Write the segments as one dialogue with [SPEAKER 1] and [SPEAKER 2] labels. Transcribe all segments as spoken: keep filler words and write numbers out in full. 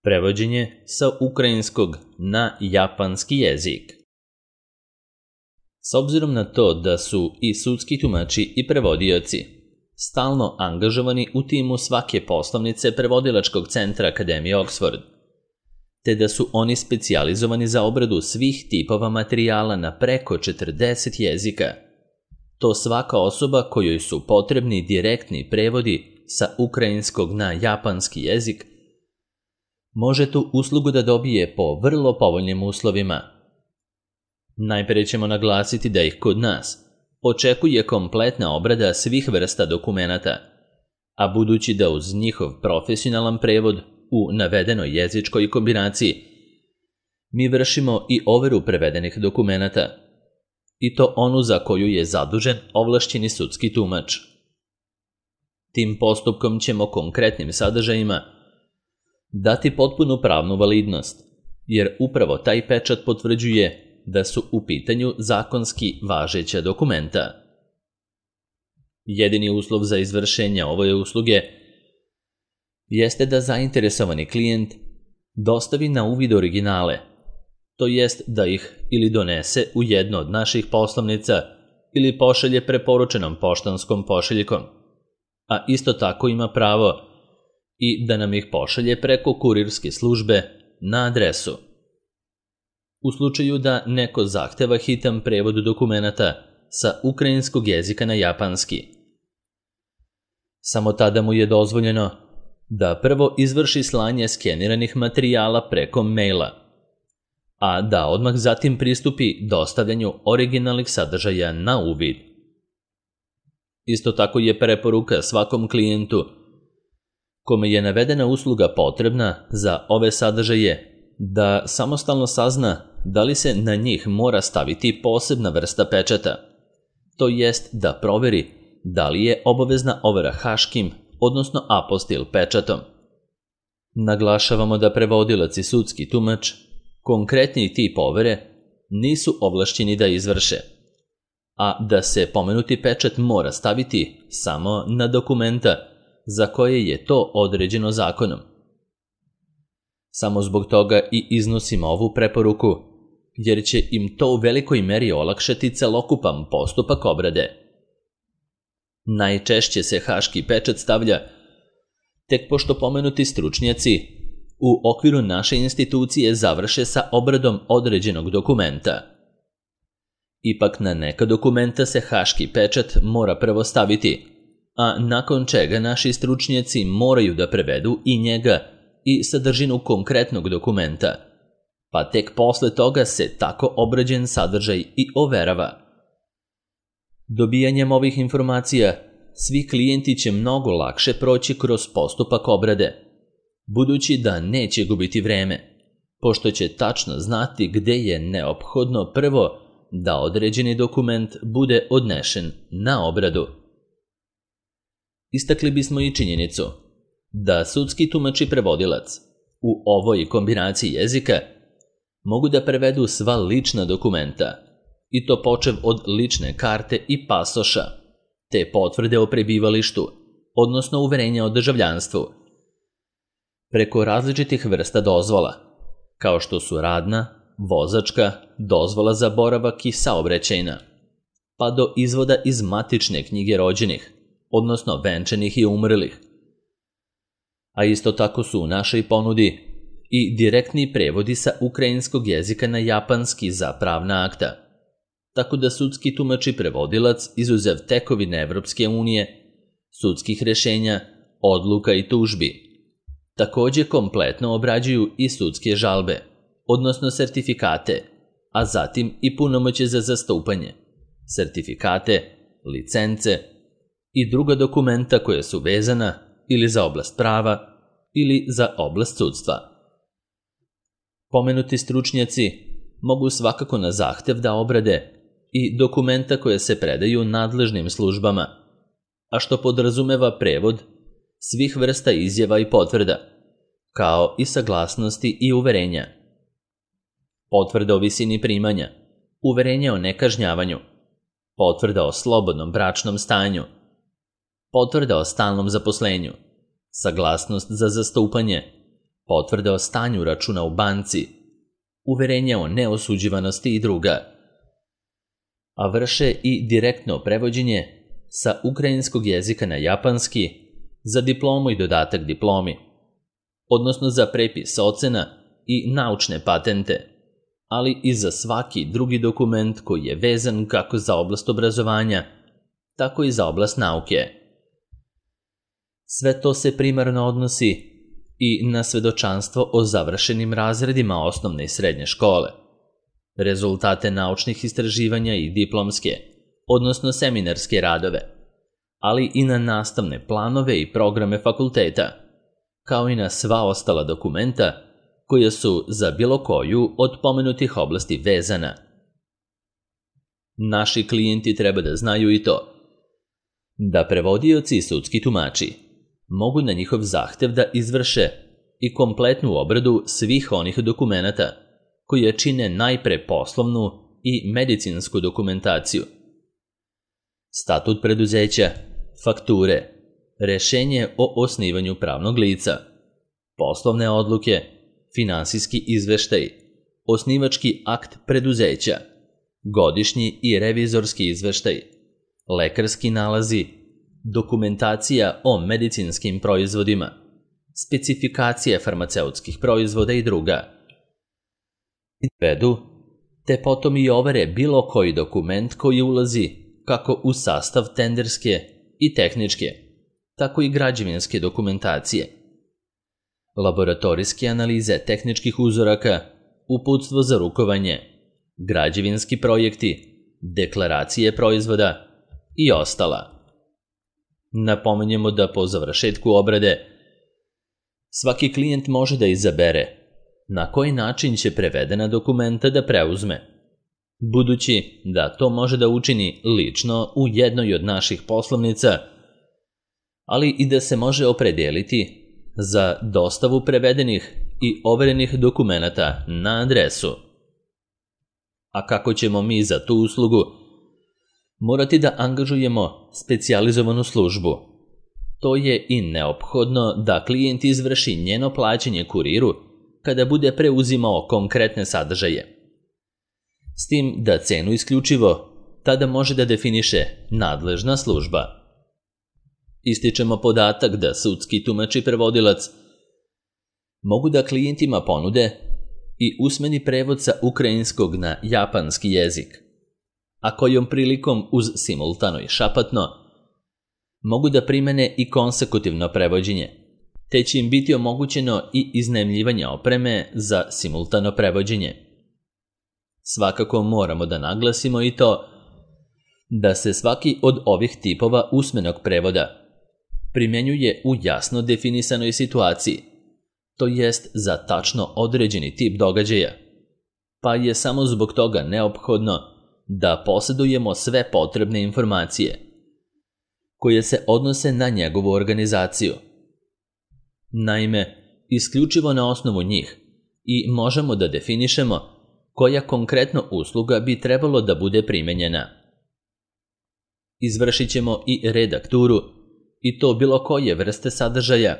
[SPEAKER 1] Prevođenje sa ukrajinskog na japanski jezik. S obzirom na to da su i sudski tumači i prevodioci stalno angažovani u timu svake poslovnice prevodilačkog centra Akademije Oxford, te da su oni specijalizovani za obradu svih tipova materijala na preko četrdeset jezika, to svaka osoba kojoj su potrebni direktni prevodi sa ukrajinskog na japanski jezik može tu uslugu da dobije po vrlo povoljnim uslovima. Najpre ćemo naglasiti da ih kod nas očekuje kompletna obrada svih vrsta dokumenata, a budući da uz njihov profesionalan prevod u navedenoj jezičkoj kombinaciji mi vršimo i overu prevedenih dokumenata, i to onu za koju je zadužen ovlašćeni sudski tumač. Tim postupkom ćemo konkretnim sadržajima dati potpunu pravnu validnost, jer upravo taj pečat potvrđuje da su u pitanju zakonski važeća dokumenta. Jedini uslov za izvršenje ove usluge jeste da zainteresovani klijent dostavi na uvid originale, to jest da ih ili donese u jednu od naših poslovnica ili pošalje preporučenom poštanskom pošiljkom, a isto tako ima pravo i da nam ih pošalje preko kurirske službe na adresu. U slučaju da neko zahteva hitan prevod dokumenata sa ukrajinskog jezika na japanski, samo tada mu je dozvoljeno da prvo izvrši slanje skeniranih materijala preko maila, a da odmah zatim pristupi dostavljanju originalnih sadržaja na uvid. Isto tako je preporuka svakom klijentu kome je navedena usluga potrebna za ove sadržaje da samostalno sazna da li se na njih mora staviti posebna vrsta pečata, to jest da proveri da li je obavezna overa haškim, odnosno apostil pečatom. Naglašavamo da prevodilac i sudski tumač konkretni tip overe nisu ovlašćeni da izvrše, a da se pomenuti pečat mora staviti samo na dokumenta za koje je to određeno zakonom. Samo zbog toga i iznosimo ovu preporuku, jer će im to u velikoj meri olakšati celokupan postupak obrade. Najčešće se haški pečat stavlja tek pošto pomenuti stručnjaci u okviru naše institucije završe sa obradom određenog dokumenta. Ipak na neka dokumenta se haški pečat mora prvo staviti, a nakon čega naši stručnjaci moraju da prevedu i njega i sadržinu konkretnog dokumenta, pa tek posle toga se tako obrađen sadržaj i overava. Dobijanjem ovih informacija svi klijenti će mnogo lakše proći kroz postupak obrade, budući da neće gubiti vreme, pošto će tačno znati gde je neophodno prvo da određeni dokument bude odnešen na obradu. Istakli bismo i činjenicu da sudski tumač i prevodilac u ovoj kombinaciji jezika mogu da prevedu sva lična dokumenta, i to počev od lične karte i pasoša, te potvrde o prebivalištu, odnosno uverenja o državljanstvu, preko različitih vrsta dozvola, kao što su radna, vozačka, dozvola za boravak i saobraćajna, pa do izvoda iz matične knjige rođenih, odnosno venčanih i umrlih. A isto tako su u našoj ponudi i direktni prevodi sa ukrajinskog jezika na japanski za pravna akta, tako da sudski tumač i prevodilac, izuzev tekovine Evropske unije, sudskih rešenja, odluka i tužbi, takođe kompletno obrađuju i sudske žalbe, odnosno sertifikate, a zatim i punomoćje za zastupanje, sertifikate, licence i druga dokumenta koja su vezana ili za oblast prava ili za oblast sudstva. Pomenuti stručnjaci mogu svakako na zahtev da obrade i dokumenta koje se predaju nadležnim službama, a što podrazumeva prevod svih vrsta izjava i potvrda, kao i saglasnosti i uverenja. Potvrda o visini primanja, uverenje o nekažnjavanju, potvrda o slobodnom bračnom stanju, potvrda o stalnom zaposlenju, saglasnost za zastupanje, potvrde o stanju računa u banci, uverenja o neosuđivanosti i druga, a vrše i direktno prevođenje sa ukrajinskog jezika na japanski za diplomu i dodatak diplomi, odnosno za prepis ocena i naučne patente, ali i za svaki drugi dokument koji je vezan kako za oblast obrazovanja, tako i za oblast nauke. Sve to se primarno odnosi i na svedočanstvo o završenim razredima osnovne i srednje škole, rezultate naučnih istraživanja i diplomske, odnosno seminarske radove, ali i na nastavne planove i programe fakulteta, kao i na sva ostala dokumenta koja su za bilo koju od pomenutih oblasti vezana. Naši klijenti treba da znaju i to da prevodioci i sudski tumači mogu na njihov zahtev da izvrše i kompletnu obradu svih onih dokumenata koje čine najpre poslovnu i medicinsku dokumentaciju. Statut preduzeća, fakture, rešenje o osnivanju pravnog lica, poslovne odluke, finansijski izveštaj, osnivački akt preduzeća, godišnji i revizorski izveštaj, lekarski nalazi, dokumentacija o medicinskim proizvodima, specifikacije farmaceutskih proizvoda i druga. Vedu, te potom i overe bilo koji dokument koji ulazi kako u sastav tenderske i tehničke, tako i građevinske dokumentacije, laboratorijske analize tehničkih uzoraka, uputstvo za rukovanje, građevinski projekti, deklaracije proizvoda i ostala. Napominjemo da po završetku obrade svaki klijent može da izabere na koji način će prevedena dokumenta da preuzme, budući da to može da učini lično u jednoj od naših poslovnica, ali i da se može opredeliti za dostavu prevedenih i overenih dokumenata na adresu. A kako ćemo mi za tu uslugu morati da angažujemo specijalizovanu službu? To je i neophodno da klijent izvrši njeno plaćanje kuriru kada bude preuzimao konkretne sadržaje. S tim da cenu isključivo tada može da definiše nadležna služba. Ističemo podatak da sudski tumač i prevodilac mogu da klijentima ponude i usmeni prevod sa ukrajinskog na japanski jezik, a kojom prilikom uz simultano i šapatno mogu da primene i konsekutivno prevođenje, te će im biti omogućeno i iznajmljivanje opreme za simultano prevođenje. Svakako moramo da naglasimo i to da se svaki od ovih tipova usmenog prevoda primjenjuje u jasno definisanoj situaciji, to jest za tačno određeni tip događaja, pa je samo zbog toga neophodno da posjedujemo sve potrebne informacije koje se odnose na njegovu organizaciju. Naime, isključivo na osnovu njih i možemo da definišemo koja konkretno usluga bi trebalo da bude primenjena. Izvršit ćemo i redakturu, i to bilo koje vrste sadržaja,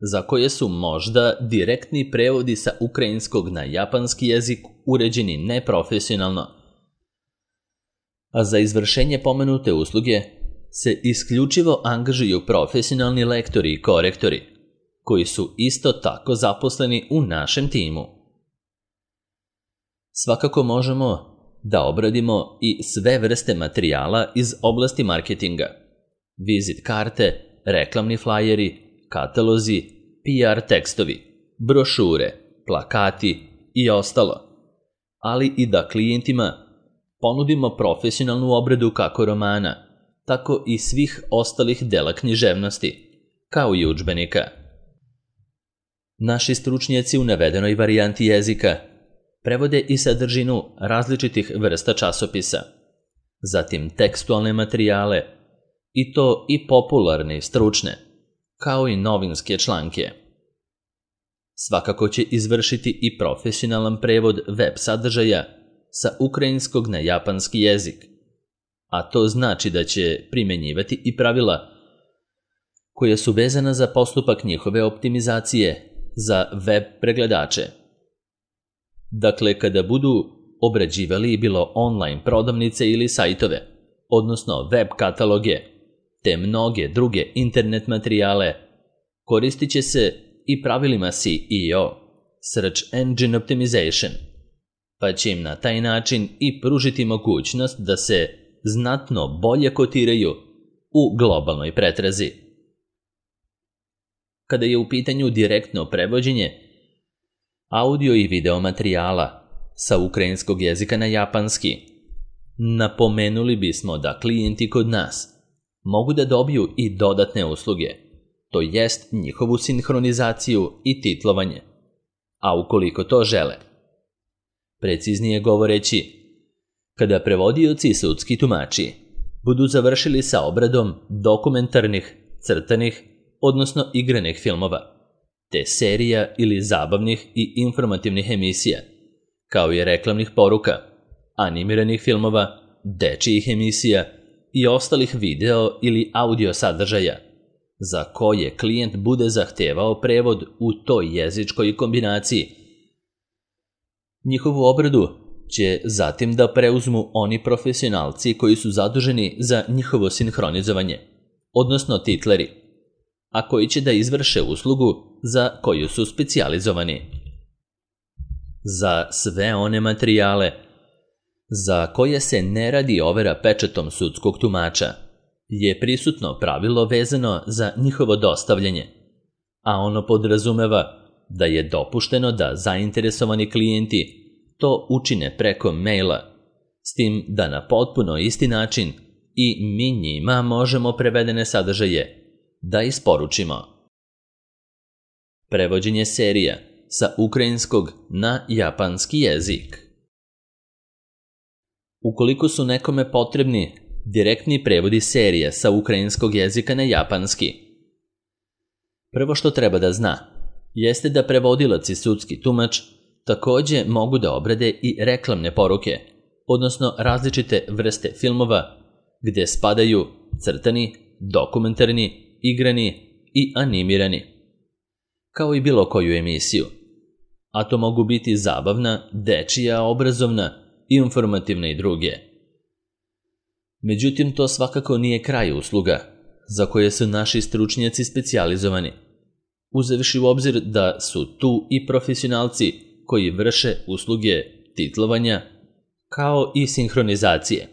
[SPEAKER 1] za koje su možda direktni prevodi sa ukrajinskog na japanski jezik uređeni neprofesionalno, a za izvršenje pomenute usluge se isključivo angažuju profesionalni lektori i korektori, koji su isto tako zaposleni u našem timu. Svakako možemo da obradimo i sve vrste materijala iz oblasti marketinga, vizit karte, reklamni flajeri, katalozi, P R tekstovi, brošure, plakati i ostalo, ali i da klijentima ponudimo profesionalnu obradu kako romana, tako i svih ostalih dela književnosti, kao i udžbenika. Naši stručnjaci u navedenoj varijanti jezika prevode i sadržinu različitih vrsta časopisa, zatim tekstualne materijale, i to i popularne i stručne, kao i novinske članke. Svakako će izvršiti i profesionalan prevod web sadržaja sa ukrajinskog na japanski jezik, a to znači da će primenjivati i pravila koja su vezana za postupak njihove optimizacije za web pregledače. Dakle, kada budu obrađivali bilo online prodavnice ili sajtove, odnosno web kataloge, te mnoge druge internet materijale, koristit će se i pravilima S E O, Search Engine Optimization, pa će im na taj način i pružiti mogućnost da se znatno bolje kotiraju u globalnoj pretrazi. Kada je u pitanju direktno prevođenje audio i video materijala sa ukrajinskog jezika na japanski, napomenuli bismo da klijenti kod nas mogu da dobiju i dodatne usluge, to jest njihovu sinhronizaciju i titlovanje, a ukoliko to žele. Preciznije govoreći, kada prevodioci i sudski tumači budu završili sa obradom dokumentarnih, crtanih, odnosno igranih filmova, te serija ili zabavnih i informativnih emisija, kao i reklamnih poruka, animiranih filmova, dečijih emisija i ostalih video ili audio sadržaja, za koje klijent bude zahtevao prevod u toj jezičkoj kombinaciji. Njihovu obradu će zatim da preuzmu oni profesionalci koji su zaduženi za njihovo sinhronizovanje, odnosno titleri, a koji će da izvrše uslugu za koju su specijalizovani. Za sve one materijale za koje se ne radi overa pečatom sudskog tumača je prisutno pravilo vezano za njihovo dostavljanje, a ono podrazumeva da je dopušteno da zainteresovani klijenti to učine preko maila, s tim da na potpuno isti način i mi njima možemo prevedene sadržaje da isporučimo. Prevođenje serija sa ukrajinskog na japanski jezik. Ukoliko su nekome potrebni direktni prevodi serija sa ukrajinskog jezika na japanski, prvo što treba da zna jeste da prevodilac i sudski tumač takođe mogu da obrade i reklamne poruke, odnosno različite vrste filmova gde spadaju crtani, dokumentarni, igrani i animirani, kao i bilo koju emisiju, a to mogu biti zabavna, dečija, obrazovna, informativna i druge. Međutim, to svakako nije kraj usluga za koje su naši stručnjaci specijalizovani, uzevši u obzir da su tu i profesionalci koji vrše usluge titlovanja kao i sinhronizacije,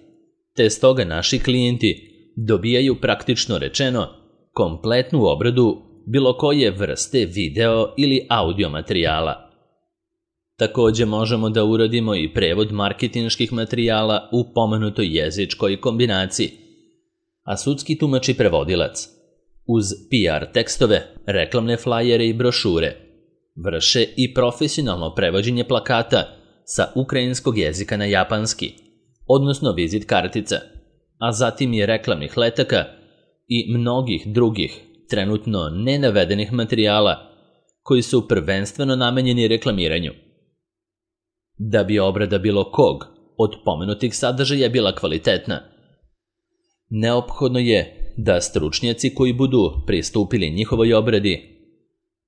[SPEAKER 1] te stoga naši klijenti dobijaju praktično rečeno kompletnu obradu bilo koje vrste video ili audio materijala. Takođe možemo da uradimo i prevod marketinških materijala u pomenutoj jezičkoj kombinaciji, a sudski tumač i prevodilac uz P R tekstove, reklamne flajere i brošure vrše i profesionalno prevođenje plakata sa ukrajinskog jezika na japanski, odnosno vizit kartica, a zatim i reklamnih letaka i mnogih drugih trenutno nenavedenih materijala koji su prvenstveno namenjeni reklamiranju. Da bi obrada bilo kog od pomenutih sadržaja bila kvalitetna, neophodno je da stručnjaci koji budu pristupili njihovoj obradi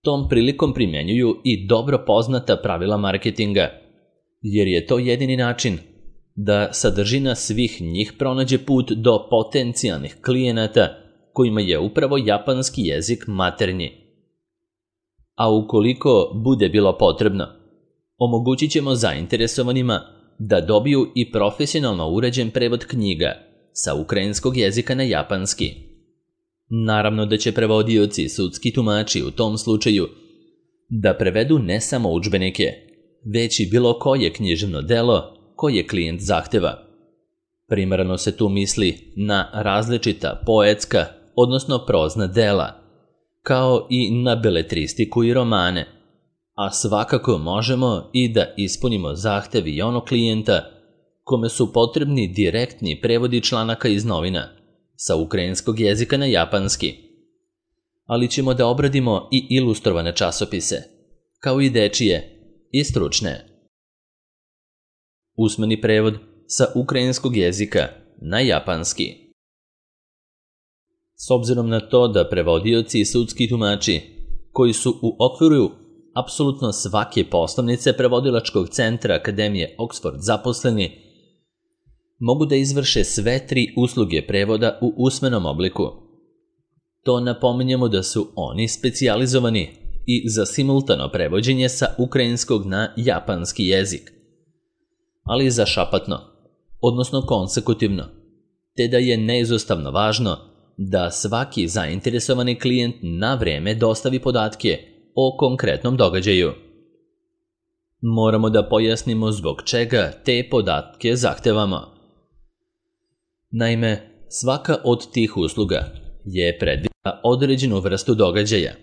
[SPEAKER 1] tom prilikom primjenjuju i dobro poznata pravila marketinga, jer je to jedini način da sadržina svih njih pronađe put do potencijalnih klijenata kojima je upravo japanski jezik maternji. A ukoliko bude bilo potrebno, omogućit ćemo zainteresovanima da dobiju i profesionalno uređen prevod knjiga sa ukrajinskog jezika na japanski. Naravno da će prevodioci i sudski tumači u tom slučaju da prevedu ne samo udžbenike, već i bilo koje književno delo koje klijent zahteva. Primarno se tu misli na različita poetska, odnosno prozna dela, kao i na beletristiku i romane, a svakako možemo i da ispunimo zahtev i onog klijenta kome su potrebni direktni prevodi članaka iz novina sa ukrajinskog jezika na japanski. Ali ćemo da obradimo i ilustrovane časopise, kao i dečije i stručne. Usmeni prevod sa ukrajinskog jezika na japanski. S obzirom na to da prevodioci i sudski tumači koji su u okviru apsolutno svake poslovnice prevodilačkog centra Akademije Oxford zaposleni mogu da izvrše sve tri usluge prevoda u usmenom obliku. To napominjemo da su oni specijalizovani i za simultano prevođenje sa ukrajinskog na japanski jezik, ali i za šapatno, odnosno konsekutivno, te da je neizostavno važno da svaki zainteresovani klijent na vreme dostavi podatke o konkretnom događaju. Moramo da pojasnimo zbog čega te podatke zahtevamo. Naime, svaka od tih usluga je predvidela određenu vrstu događaja,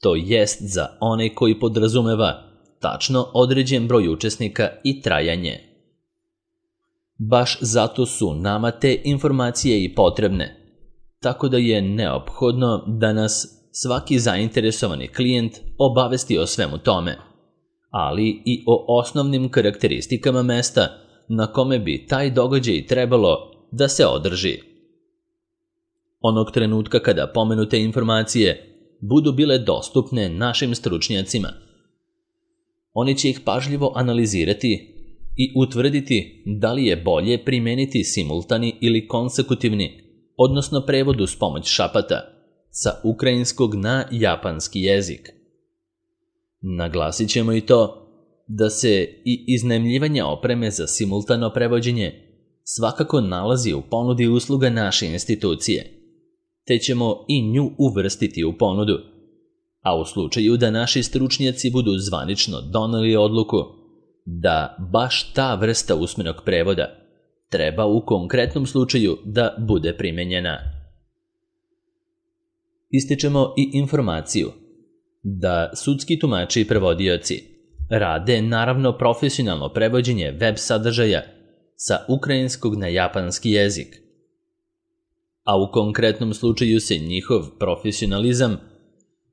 [SPEAKER 1] to jest za onaj koji podrazumeva tačno određen broj učesnika i trajanje. Baš zato su nama te informacije i potrebne, tako da je neophodno da nas svaki zainteresovani klijent obavesti o svemu tome, ali i o osnovnim karakteristikama mesta na kome bi taj događaj trebalo da se održi. Onog trenutka kada pomenute informacije budu bile dostupne našim stručnjacima, oni će ih pažljivo analizirati i utvrditi da li je bolje primeniti simultani ili konsekutivni, odnosno prevod uz pomoć šapata, sa ukrajinskog na japanski jezik. Naglasit ćemo i to da se i iznajmljivanje opreme za simultano prevođenje svakako nalazi u ponudi usluga naše institucije, te ćemo i nju uvrstiti u ponudu, a u slučaju da naši stručnjaci budu zvanično doneli odluku da baš ta vrsta usmenog prevoda treba u konkretnom slučaju da bude primenjena. Ističemo i informaciju da sudski tumači i prevodioci rade naravno profesionalno prevođenje web sadržaja sa ukrajinskog na japanski jezik, a u konkretnom slučaju se njihov profesionalizam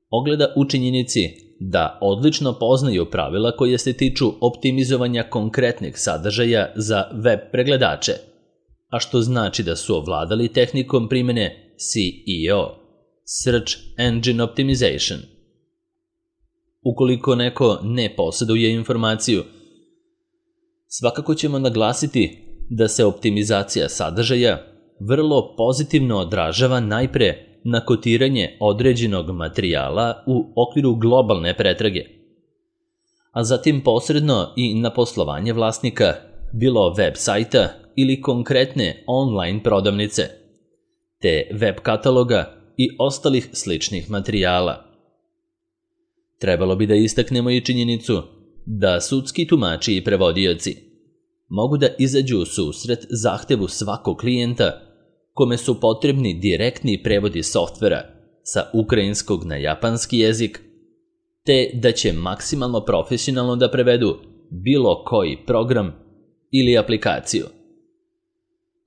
[SPEAKER 1] ogleda u činjenici da odlično poznaju pravila koje se tiču optimizovanja konkretnih sadržaja za web pregledače, a što znači da su ovladali tehnikom primene S E O, Search Engine Optimization. Ukoliko neko ne posjeduje informaciju, svakako ćemo naglasiti da se optimizacija sadržaja vrlo pozitivno odražava najpre na kotiranje određenog materijala u okviru globalne pretrage, a zatim posredno i na poslovanje vlasnika, bilo web sajta ili konkretne online prodavnice, te web kataloga i ostalih sličnih materijala. Trebalo bi da istaknemo i činjenicu da sudski tumači i prevodioci mogu da izađu u susret zahtevu svakog klijenta kome su potrebni direktni prevodi softvera sa ukrajinskog na japanski jezik, te da će maksimalno profesionalno da prevedu bilo koji program ili aplikaciju.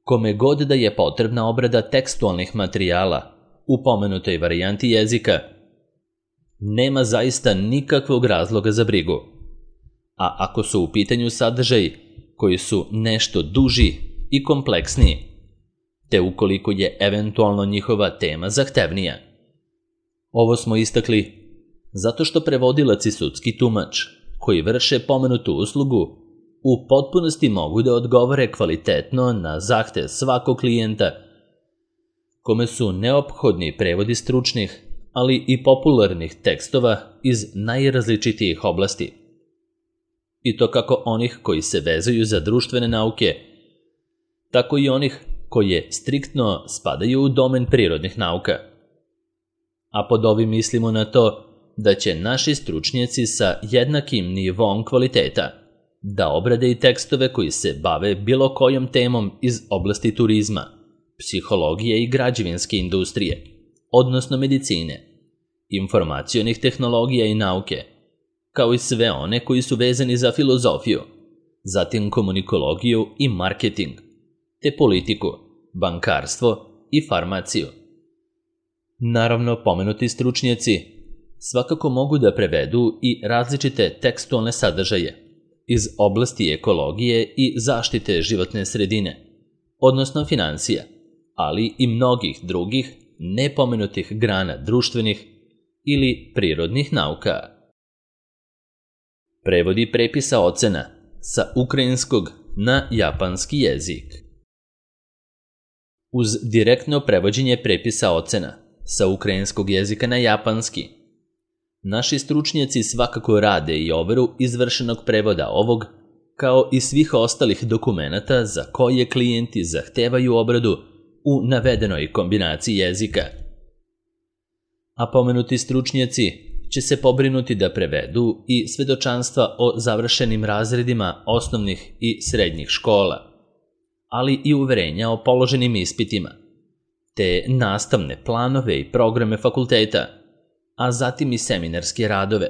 [SPEAKER 1] Kome god da je potrebna obrada tekstualnih materijala u pomenutoj varijanti jezika, nema zaista nikakvog razloga za brigu. A ako su u pitanju sadržaji koji su nešto duži i kompleksniji, te ukoliko je eventualno njihova tema zahtevnija. Ovo smo istakli zato što prevodilac i sudski tumač koji vrše pomenutu uslugu u potpunosti mogu da odgovore kvalitetno na zahtev svakog klijenta kome su neophodni prevodi stručnih, ali i popularnih tekstova iz najrazličitijih oblasti. I to kako onih koji se vezuju za društvene nauke, tako i onih koje striktno spadaju u domen prirodnih nauka. A pod ovim mislimo na to da će naši stručnjaci sa jednakim nivom kvaliteta da obrade i tekstove koji se bave bilo kojom temom iz oblasti turizma, psihologije i građevinske industrije, odnosno medicine, informacionih tehnologija i nauke, kao i sve one koji su vezani za filozofiju, zatim komunikologiju i marketing, te politiku, bankarstvo i farmaciju. Naravno, pomenuti stručnjaci svakako mogu da prevedu i različite tekstualne sadržaje iz oblasti ekologije i zaštite životne sredine, odnosno financija, ali i mnogih drugih nepomenutih grana društvenih ili prirodnih nauka. Prevodi prepisa ocena sa ukrajinskog na japanski jezik. Uz direktno prevođenje prepisa ocena sa ukrajinskog jezika na japanski, naši stručnjaci svakako rade i overu izvršenog prevoda ovog, kao i svih ostalih dokumenata za koje klijenti zahtevaju obradu u navedenoj kombinaciji jezika. A pomenuti stručnjaci će se pobrinuti da prevedu i svedočanstva o završenim razredima osnovnih i srednjih škola, ali i uverenja o položenim ispitima, te nastavne planove i programe fakulteta, a zatim i seminarske radove,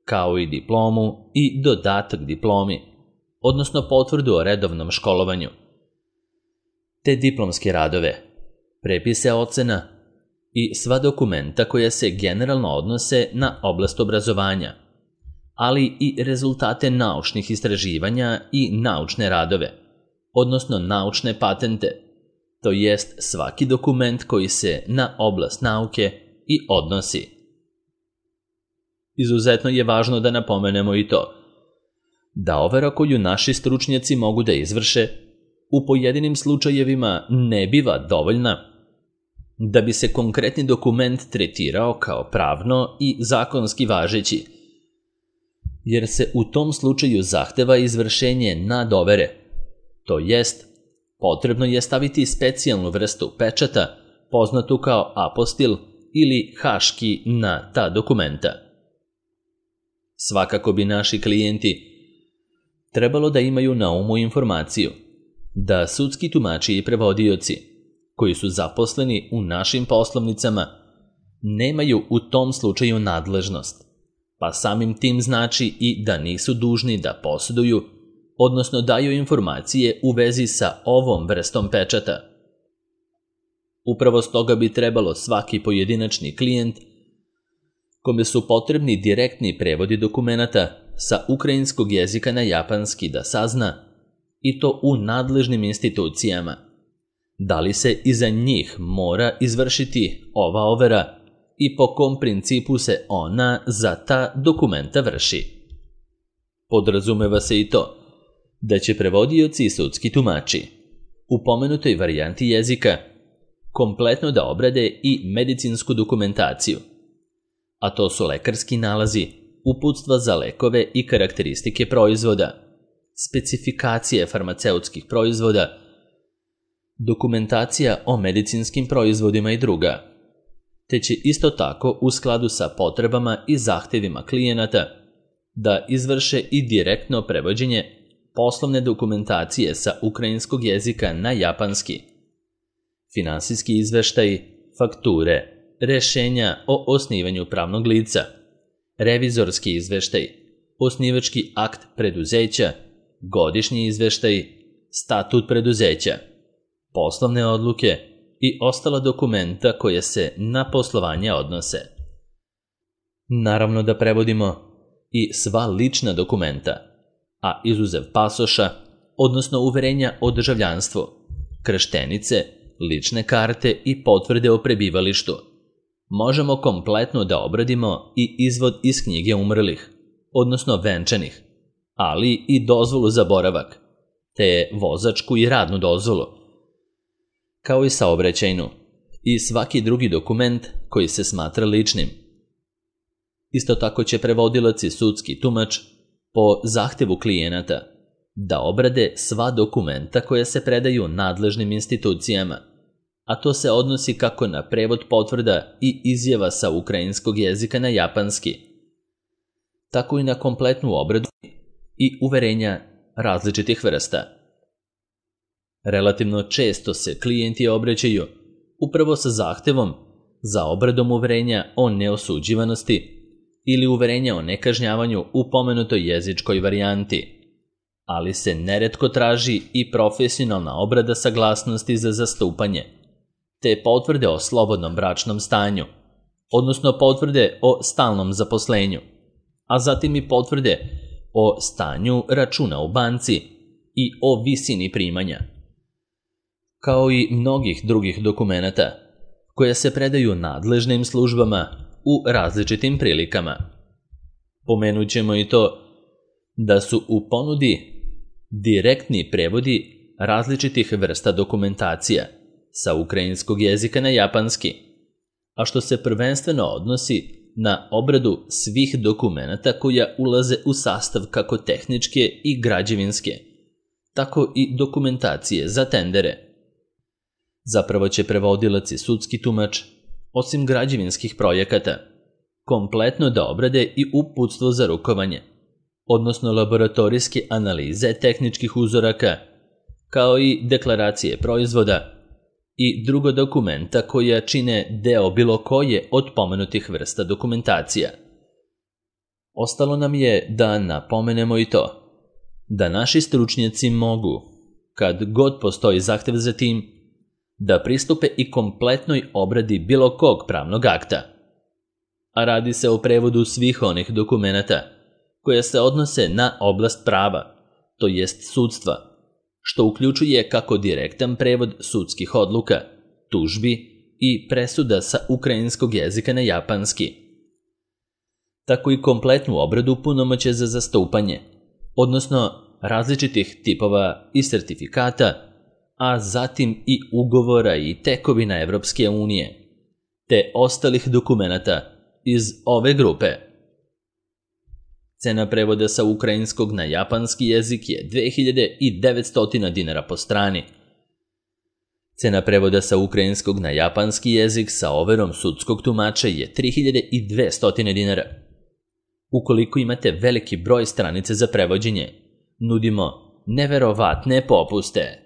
[SPEAKER 1] kao i diplomu i dodatak diplomi, odnosno potvrdu o redovnom školovanju, te diplomske radove, prepise ocena i sva dokumenta koja se generalno odnose na oblast obrazovanja, ali i rezultate naučnih istraživanja i naučne radove, odnosno naučne patente, to jest svaki dokument koji se na oblast nauke i odnosi. Izuzetno je važno da napomenemo i to da overa koju naši stručnjaci mogu da izvrše u pojedinim slučajevima ne biva dovoljna da bi se konkretni dokument tretirao kao pravno i zakonski važeći, jer se u tom slučaju zahteva izvršenje nadovere, to jest potrebno je staviti specijalnu vrstu pečata poznatu kao apostil ili haški na ta dokumenta. Svakako bi naši klijenti trebalo da imaju na umu informaciju da sudski tumači i prevodioci koji su zaposleni u našim poslovnicama nemaju u tom slučaju nadležnost, pa samim tim znači i da nisu dužni da posjeduju, odnosno daju informacije u vezi sa ovom vrstom pečata. Upravo stoga bi trebalo svaki pojedinačni klijent kome su potrebni direktni prevodi dokumenata sa ukrajinskog jezika na japanski da sazna, i to u nadležnim institucijama, da li se iza njih mora izvršiti ova overa i po kom principu se ona za ta dokumenta vrši. Podrazumeva se i to da će prevodioci i sudski tumači u pomenutoj varijanti jezika kompletno da obrade i medicinsku dokumentaciju, a to su lekarski nalazi, uputstva za lekove i karakteristike proizvoda, specifikacije farmaceutskih proizvoda, dokumentacija o medicinskim proizvodima i druga, te će isto tako u skladu sa potrebama i zahtevima klijenata da izvrše i direktno prevođenje poslovne dokumentacije sa ukrajinskog jezika na japanski, finansijski izveštaji, fakture, rešenja o osnivanju pravnog lica, revizorski izveštaj, osnivački akt preduzeća, godišnji izveštaj, statut preduzeća, poslovne odluke i ostala dokumenta koje se na poslovanje odnose. Naravno da prevodimo i sva lična dokumenta, a izuzev pasoša, odnosno uverenja o državljanstvu, krštenice, lične karte i potvrde o prebivalištu, možemo kompletno da obradimo i izvod iz knjige umrlih, odnosno venčanih, ali i dozvolu za boravak, te vozačku i radnu dozvolu, kao i saobraćajnu i svaki drugi dokument koji se smatra ličnim. Isto tako će prevodilac i sudski tumač po zahtevu klijenata da obrade sva dokumenta koja se predaju nadležnim institucijama, a to se odnosi kako na prevod potvrda i izjava sa ukrajinskog jezika na japanski, tako i na kompletnu obradu i uverenja različitih vrsta. Relativno često se klijenti obraćaju upravo sa zahtevom za obradom uverenja o neosuđivanosti ili uverenja o nekažnjavanju u pomenutoj jezičkoj varijanti, ali se neretko traži i profesionalna obrada saglasnosti za zastupanje, te potvrde o slobodnom bračnom stanju, odnosno potvrde o stalnom zaposlenju, a zatim i potvrde o stanju računa u banci i o visini primanja, kao i mnogih drugih dokumenata koje se predaju nadležnim službama u različitim prilikama. Pomenut ćemo i to da su u ponudi direktni prevodi različitih vrsta dokumentacija sa ukrajinskog jezika na japanski, a što se prvenstveno odnosi na obradu svih dokumenata koja ulaze u sastav kako tehničke i građevinske, tako i dokumentacije za tendere. Zapravo će prevodilac i sudski tumač, osim građevinskih projekata, kompletno da obrade i uputstvo za rukovanje, odnosno laboratorijske analize tehničkih uzoraka, kao i deklaracije proizvoda i drugo dokumenta koja čine deo bilo koje od pomenutih vrsta dokumentacija. Ostalo nam je da napomenemo i to, da naši stručnjaci mogu, kad god postoji zahtev za tim, da pristupe i kompletnoj obradi bilo kog pravnog akta. A radi se o prevodu svih onih dokumenata koje se odnose na oblast prava, to jest sudstva, što uključuje kako direktan prevod sudskih odluka, tužbi i presuda sa ukrajinskog jezika na japanski, tako i kompletnu obradu punomoćja za zastupanje, odnosno različitih tipova i sertifikata, a zatim i ugovora i tekovina Evropske unije, te ostalih dokumenata iz ove grupe. Cena prevoda sa ukrajinskog na japanski jezik je dve hiljade devetsto dinara po strani. Cena prevoda sa ukrajinskog na japanski jezik sa overom sudskog tumača je tri hiljade dvesta dinara. Ukoliko imate veliki broj stranice za prevođenje, nudimo neverovatne popuste.